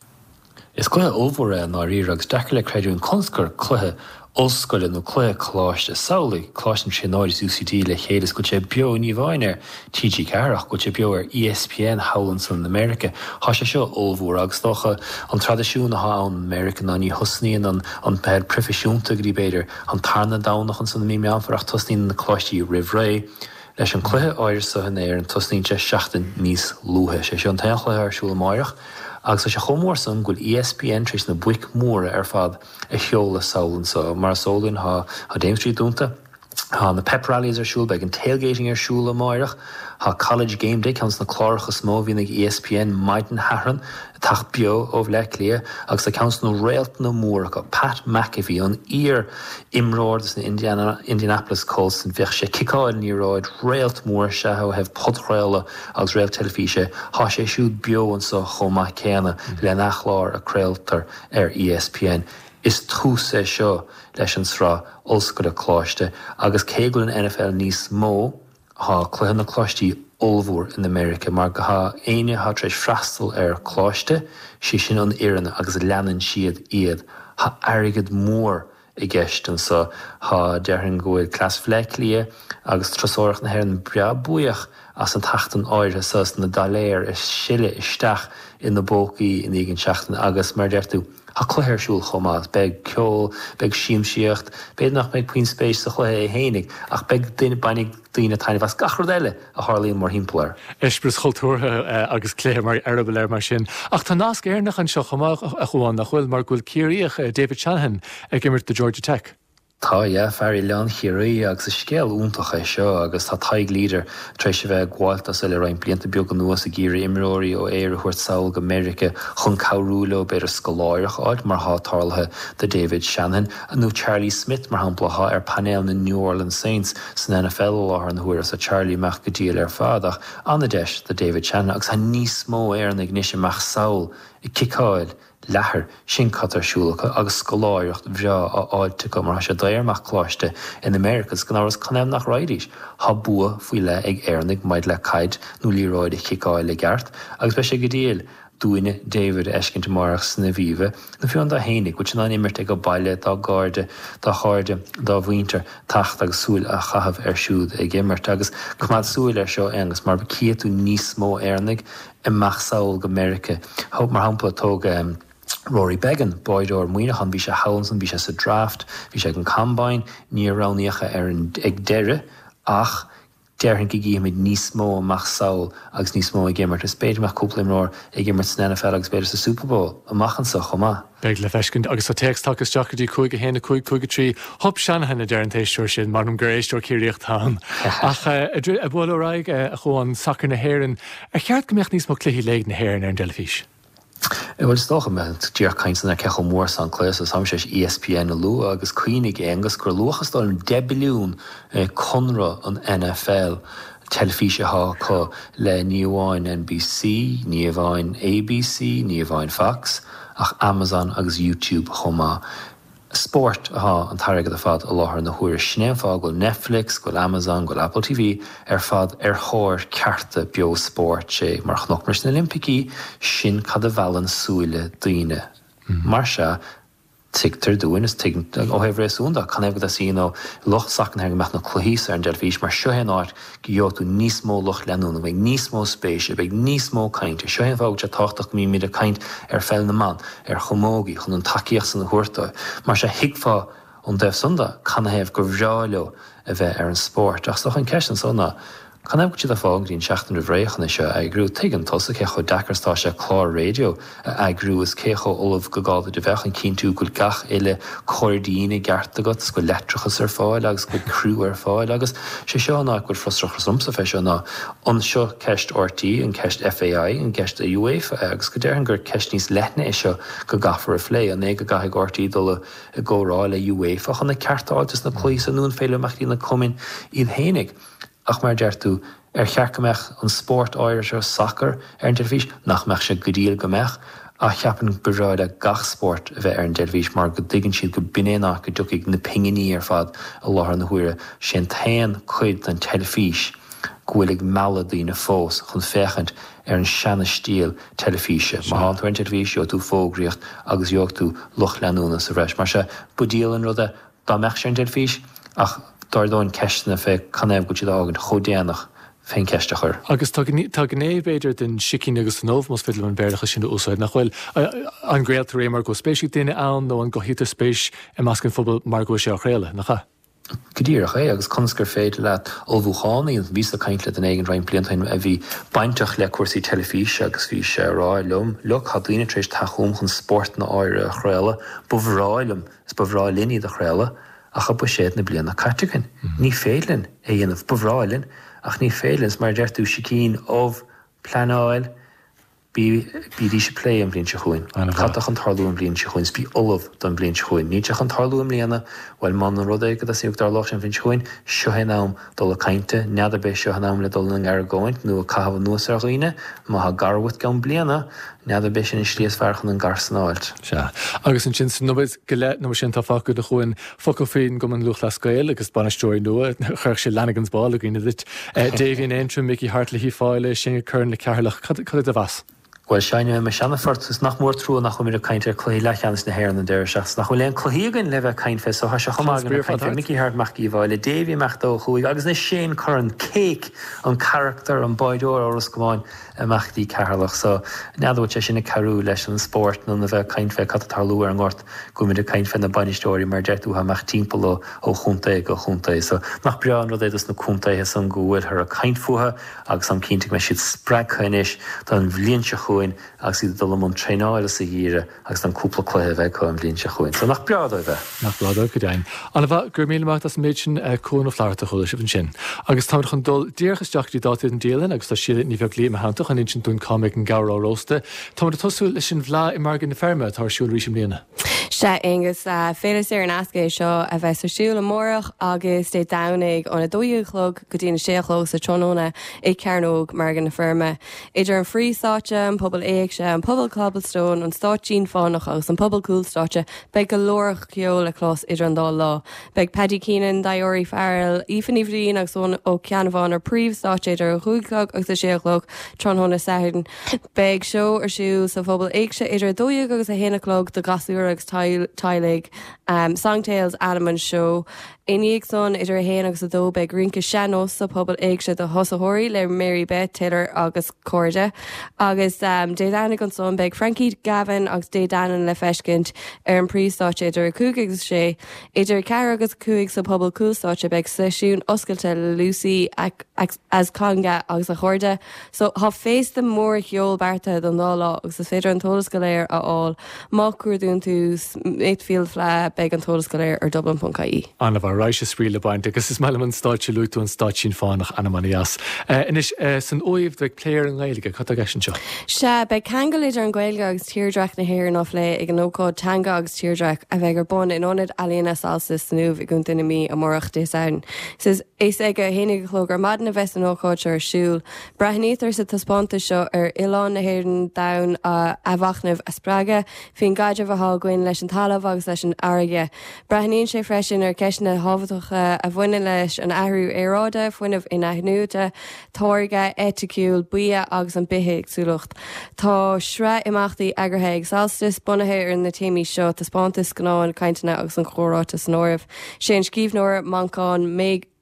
Is cluiche ollmhór é i ndáiríre agus deacair le creidiúint conas gur cluiche ollscoile nó cluiche coláiste, samhlaigh Coláiste na Tríonóide is U C D le chéile is go bhfuil sé beo ní amháin ar T G ceathair ach go bhfuil sé beo ar E S P N thall ansan i Meiriceá. Thá sé seo ollmhór agus dócha an traidisiún athá ann i Meiriceá ná ní thosnaíonn an an peil proifisiúnta go dtí b'fhéidir an tarna Domhnach ansan i mí Meán Fómhair ach tosnaíonn na coláistí roimh ré. Leis an cluiche áirithe seo in Éirinn tosnaíonn sé seachtain níos luaithe. Sé seo an t-aon chluiche ar siúl amáireach agus tá sé chomh mór san go bhfuil E S P N tar éis na boic mhóra ar fad a sheoladh sall anso. Mar is eol dúinn tá tá Dame Street dúnta, tá na pep rallies ar siúl, beidh an tailgating ar siúl amáireach, tá College Game Day, ceann de na cláracha is mó a bhíonn ag E S P N maidin Shathairn, ag teacht beo ó Bhleá Cliath agus tá ceann de na réaltanna móra acu, Pat McAfee, an iar-imreoir dos na Indiana, Indianapolis Colts, bheadh sé ag ciceáil an liathróid, réalt mór is ea ó thaobh podchraoladh agus réalt teilifíse, tá sé siúd beo anso chomh maith céanna lena chlár a craoltar ar E S P N. Is tús é seo leis an sraith ollscoile coláiste agus cé go bhfuil an N F L níos mó, tá cluiche na coláistí ollmhór in America mar go thá éinne athá tar éis freastal ar coláiste, sé sin an fhoireann agus leanann siad iad. Thá airgead mór i gceist anso. Thá, déarfainn go bhfuil cleas Bhleá Cliath agus turasóireacht na hÉireann breá buíoch as an tseachtain áirithe so, as na doiléir a sileadh isteach ina bpócaí i ndiaidh an tseachtain agus mar a deir tú, tá cluiche ar siúl chomh maith. Beidh ceol, beidh siamsaíocht, b'fhéidir nach mbeidh puinn spéis sa chluiche é fhéinig ach beidh duine, bainfidh daoine taitneamh as gach rud eile a tharlaíonn mórthimpeall air. Eispéireas cultúrtha agus cluiche mar eireaball air mar sin. Ach tá nasc Éireannach anseo chomh maith, a Chuain, nach bhfuil, mar go bhfuil Ciarraíoch, David Shanahan ag imirt do Georgia Tech. Tá, yeah, fear Oileán Chiarraí agus is scéal iontach é seo agus tá Tadhg Leader tar éis a bheith ag gabháilt dó le roinnt blianta beaga anuas ag iarraidh imreoirí ó Éire a thabhairt sall go Meiriceá chun cabhrú leo b'fhéidir scoláireacht a fháilt mar atá tarlaithe do David Shanahan nó Charlie Smith mar shampla atá ar painéal na New Orleans Saints san N F L i láthair na huaire so Charlie amach go diail ar fad ach an-deis do David Shanahan agus tá níos mó Éireannaigh anois amach sall ag ciceáil leathair, sin cad tá ar siúl acu agus scoláireacht bhreá á fháilt acu mar tá sé daor amach coláiste in America agus gan amhras canathaobh nach raghaidís. Tá bua faoi leith ag Éireannaigh maidir le caid nó liathróid a chiceáil i gceart agus beidh sé go diail dúinne David a fheiscint amárach san Aviva nó fiú amháin dó fhéinig, go bhfuil sé in ann imirt ag a baile dá gcairde, dá chairde, dá mhuintir teacht agus súil a chaitheamh air siúd ag imirt agus coimeád súil air seo Aonghus mar cífidh tú níos mó Éireannaigh amach sall go Meiriceá. Mar shampla tóg Rory Beggan, báireoir Muineachán, bhí sé thall ansan, bhí sé sa draft, bhí sé ag an combine, níor roghnaíodh é ar an ag deireadh ach déarfainn go gcífimid níos mó amach sall agus níos mó ag imirt. Is b'fhéidir go mbeadh cúpla imreoir ag imirt san N F L agus b'fhéidir sa Super Bowl amach anso chomh maith. Beidh le feiscint agus tá téacs tagtha isteach go dtí cúig a haon a cúig cúig a trí. Hup Shanahan a deir an t-éisteoir sin, m'anam gur éisteoir Ciarraíoch atá ann. Ach ag bualadh ar aghaidh, a Chuain, sacar na hÉireann, ar cheart go mbeadh níos mó cluichí léig na hÉireann ar an dteilifís? Bhuel, is dócha, mé díreach caint san ar cé chomh mór is an cluiche so táimse tar éis E S P N a lua agus cuimhnigh Aonghus gur luach is dóigh liom deich billiún conradh an N F L teilifíse atá acu le ní amháin N B C, ní amháin A B C, ní amháin Fox, ach Amazon agus YouTube chomh maith. Spórt atá an t-airgead ar fad i láthair na huaire. Sin é an fáth go bhfuil Netflix, go bhfuil Amazon, go bhfuil Apple T V ar fad ar thóir cearta beo spóirt. Sé mar chonac muid sna Oilimpicí, sin cad a mheallann súile daoine. Mar sea, tuigtear dúinn is tuigeann ó thaobh réasúin de, canathaobh go dteastaíonn ó lucht sacair na hÉireann go mbeadh na cluichí ar an dteilifís, mar seo é an áit go gheobhaidh tú níos mó lucht leanúna, go mbeidh níos mó spéise, beidh níos mó cainte. Seo é an fáth go bhfuil sé tábhachtach go mbímid ag caint ar pheil na mban, ar chamógaí, chun an tacaíocht san a thabhairt dóibh. Mar sea, thuigfeá ón dtaobh san de, canathaobh gur bhreá leo a bheith ar an spórt. Ach is dócha an ceist anso ná, canathaobh go bhfuil siad ag fágáil go dtí an seachtain roimh ré chun é seo a eagrú? Tuigeann tusa cé chomh deacair is atá sé clár raidió a eagrú is cé chomh ullamh go gá duit a bheith chun cinntiú go bhfuil gach uile cóirdín i gceart agat, is go bhfuil leictreachas ar fáil agus go bhfuil criú ar fáil. Agus sé seo an áit go bhfuil frustrachas ormsa fé seo ná an seo ceist R T, an ceist F A I, an ceist UEFA, agus go déarfainn gur ceist níos leithne é seo go gcaithfear a phlé, an é go gcaithfidh R T dul i gcomhrá le UEFA chun na cearta a fháil dos na cluichí seo nó an féidir amach na cumainn iad fhéinig. Ach mar a deir tú, ar cheart go mbeadh an spórt áirithe seo, sacar, ar an teilifís? Nach mbeadh sé go diail go mbeadh? Ach cheapfainn ba bhreá le gach spórt a bheith ar an dteilifís mar go dtuigeann siad go b'in é an áit go dtiocfaidh na pinginí ar fad i láthair na huaire. Sé an t-aon cuid den teilifís go bhfuil ag mealladh daoine fós chun féachaint ar an seana-stíl teilifíse. Má thánn tú ar an teilifís, gheobhaidh tú fógraíocht agus gheobhaidh tú lucht leanúna sa bhreis. Mar sea, ba diail an rud é dá mbeadh sé ar an dteilifís, ach d'ardóinn ceisteanna fé canathaobh go bhfuil siad á fhágaint chomh déanach fén cheist a chur. Agus tá tá gné, b'fhéidir, den sicín agus den ubh, más féidir liom an Béarlachas sin a úsáid, nach bhfuil? An gcraoltar é mar go bhfuil spéis ag daoine ann nó an gcothaítear spéis i measc an phobail mar go bhfuil sé á chraoladh, nach ea? Go díreach é, agus conas gur féidir leat ullmhúchán a dhéanamh. Bhíos ag caint le duine éigin roinnt blianta ó shin a bhí bainteach le cúrsaí teilifíse agus bhí sé ag rá liom, look, tá daoine tar éis teacht chugam chun spórtanna áirithe a chraoladh, ba bhreá liom is ba bhreá linn iad a chraoladh ach tá buiséad na bliana caite againn. Ní féidir linn é a dhéanamh. Ba bhreá linn ach ní féidir linn. Is mar a deir tú, sicín, ubh, pleanáil. Bí, bídís ag plé an bhliain seo chugainn. Cad tá chun tarlú an bhliain seo chugainn? Is bí ullamh don bhliain seo chugainn. Níl sé chun tarlú i mbliana. Bhuel, muna rud é go dtosnóidh go dtarlódh sé an bhliain seo chugainn, seo é an am dul ag caint. N'fheadar ab é seo an am le dul ina n-argóint nó ag caitheamh anuas ar dhaoine. Má tá gar uait i gceann bliana, n'fheadar ab é sin an slí is fearr chun an gar san a fháilt. Sea. Agus ansin sa nóiméad go leith nó mar sin atá fágtha againn, focal faoin gCumann Lúthchleas Gael agus bainisteoirí nua, chuirfeadh sé Lanigan's Ball i gcuimhne duit. Davy in Aontroim, Mickey Harte le hUíbh Fhailí, Shane Curran le Ceatharlach. Cad é do mheas? Bhuel, seinnfidh mé mo sheana-phort is nach mór trua nach bhfuilimid ag caint ar cluichí leathcheannais na hÉireann an deireadh seachtaine. Nach bhfuil aon cluichí againn le bheith ag caint fé so tá sé chomh maith againn ag caint fé Mickey Harte amach go Uíbh Fhailí, Davy amach ó thuaidh agus anois Shane Curran, Cake, an carachtar, an báireoir ó Ros Comáin amach go dtí Ceatharlach. So, n'fheadar bhfuil sé sin ag cabhrú leis an spórt nó na bheith ag caint fé cad tá ag tarlú ar an ngort, go bhfuilimid ag caint fé na bainisteoirí mar a deir tú atá amach timpeall ó ó chontae go chontae. So, nach breá an rud é dos na contaetha san go bhfuilthear ag caint fúthu agus táim cinnte go mbeidh siad spreagtha anois don bhliain seo chugainn agus iad ag dul i mbun traenála sa gheimhreadh agus don cúpla cluiche a bheidh acu an bhliain seo chugainn. So, nach breá dóibh é. Nach breá dóibh, go deimhin. Ana-mhaith, go raibh míle maith as an méid sin, Cuan Ó Flatharta a chuala sibh ansin. Agus táimid chun dul díreach isteach go dtí dátaí don dialann agus tá Síle Ní Bheaglaoí i mo theannta chun insint dúinn cá mbeidh an gabhar á róstadh. Táimid ag tosú leis an bhFleadh i Margadh na Feirme atá ar siúl arís i mbliana. Sea, Aonghus, féile saor in aisce é seo a bheas ar siúl amárach agus Dé Domhnaigh óna dó dhéag a chlog go dtí na sé a chlog sa tráthnóna i Cearnóg Margadh na Feirme. Idir an phríomhstáitse, an Puball Éigse, an Puball Cobblestone, an Stáitsín Fánach agus an Puball Cúlstáitse, beidh go leor ceoil le clos idir an dá lá. Beidh Paddy Keenan, Diori Farrell, Aoife Ní Bhriain agus Eoin Ó Ceannabháin ar príomhstáitse idir a cúig a chlog agus a sé a chlog tráthnóna Sathairn. Beidh seó ar siúl sa Phuball Éigse idir a dó dhéag agus a haon a chlog do ghasúir agus teaghlaigh. Songtales ainm an seó. I ndiaidh san, idir a haon agus a dó, beidh rince sean-nós sa Phuball Éigse do thosaitheoirí le Mary Beth Taylor agus cairde. Agus Dé Domhnaigh ansan, beidh Frankie Gavin agus Dé Danann le feiscint ar an príomhstáitse idir a cúig agus a sé. Idir a ceathair agus a cúig sa Phuball Cúlstáitse beidh seisiún oscailte le Lucy as Conga agus a chairde. So tá féasta mór cheoil beartaithe don dá lá agus is féidir an t-eolas go léir a fháil má chuardaíonn tú Smithfield Fleadh beidh an t-eolas go léir ar dublin ponc ie. An-mhaith, raidhse spraoi le baint agus is maith liom an stáitse, luaigh tú an Stáitsín Fánach, ainm ana-dheas. Anois, san Uaimh beidh plé ar an nGaeilge, cad tá i gceist anseo? Sea, beidh ceangal idir an Ghaeilge agus tírdhreach na hÉireann á phlé ag an ócáid Teanga agus Tírdhreach a bheidh ar bun in Ionad Ealaíona Solstice san Uaimh i gContae na Mí amárach, Dé Sathairn. Is ag a haon déag a chlog ar maidin a bheas an ócáid seo ar siúl. Breathnaítear sa taispeántas seo ar oileán na hÉireann d'fhonn athmhachnamh a spreagadh faoin gcaidreamh atá againn leis an talamh agus leis an fharraige. Breathnaíonn sé freisin ar cheisteanna tábhachtacha a bhaineann leis an athrú aeráide, fuinneamh in-athnuaite, táirgeadh eiticiúil bia agus an bithéagsúlacht. Tá sraith imeachtaí eagraithe ag Solstice bunaithe ar na téamaí seo, taispeántais, scannáin, cainteanna agus an comhráite san áireamh. Sé an scríbhneoir Manchán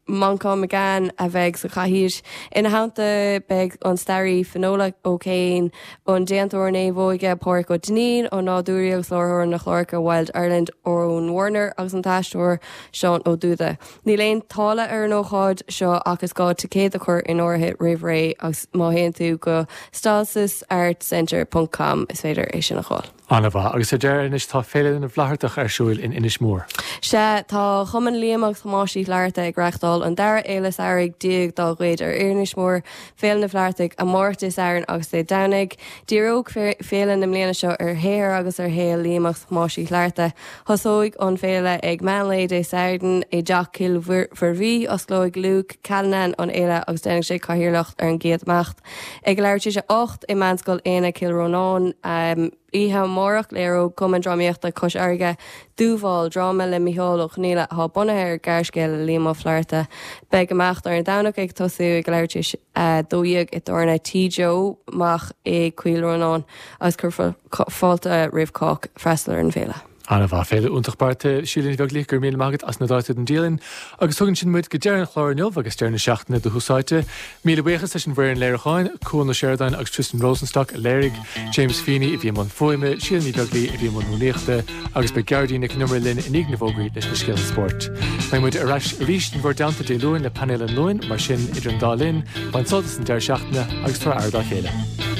Manchán Magan a bheidh sa chathaoir. Ina theannta beidh an staraí Finola O'Kane, an déantóir naomhóige Pádraig Ó Duinnín, an nádúraí agus láithreoir na chláracha Wild Ireland Eoin Warner agus an t-aisteoir Seán Ó Dúda. Níl aon táille ar an ócáid seo ach is gá ticéad a chur in áirithe roimh ré agus má théann tú go solsticeartscentre ponc com is féidir é sin a fháil. An-mhaith. Agus ar deireadh anois tá Féile na bhFlaitheartach ar siúl in Inis Mór. Sea, tá Cumann Liam agus Thomáis Uí Fhlatharta ag reáchtáil an dara fhéile samhraidh déag dá gcuid ar Inis Mór, Féile na bhFlaitheartach, amárach Dé Sathairn agus Dé Domhnaigh. Díreoidh féile na mbliana seo ar shaothar agus ar shaol Liam agus Thomáis Uí Fhlatharta. Tosóidh an féile ag meán lae Dé Sathairn i dTeach Chill Mhuirbhigh. Osclóidh Luke Callanan an fhéile agus déanfaidh sé cathaoirleacht ar an gcéad imeacht. Ag leathuair tar éis a hocht i Meánscoil Éanna Cill Rónáin. Oíche amárach, léireoidh Cumann Drámaíochta Chois Fharraige Dúmhál, dráma le Mícheál Ó Conghaile atá bunaithe ar ghearrscéal le Liam Ó Flaithearta. Beidh imeacht ar an Domhnach ag tosú ag leathuair tar éis a dó dhéag i dtábhairne Tí Joe Mach i gCill Rónáin agus cuirfear fáilte roimh chách freastal ar an bhféile. An-mhaith. Féile iontach beartaithe. Síle Ní Bheaglaoich, go raibh míle maith agat as na dátaí don dialann. Agus tugann sin muid go deireadh an chláir inniu agus deireadh na seachtaine do Thús Áite. Míle buíochas leis an bhfoireann léiriúcháin, Cuan Ó Seireadáin agus Tristan Rosenstock a léirigh, James Feeney a bhí i mbun fuaime, Síle Ní Bheaglaoich a bhí i mbun rúnaíochta agus beidh Gearóidín Nic an Iomaire linn i ndiaidh na bhfógraí leis na scéalta spóirt. Beidh muid ar ais arís in bhur dteannta Dé Luain le painéal an Luain, mar sin idir an dá linn, bain sult as an deireadh seachtaine agus tabhair aire dá chéile.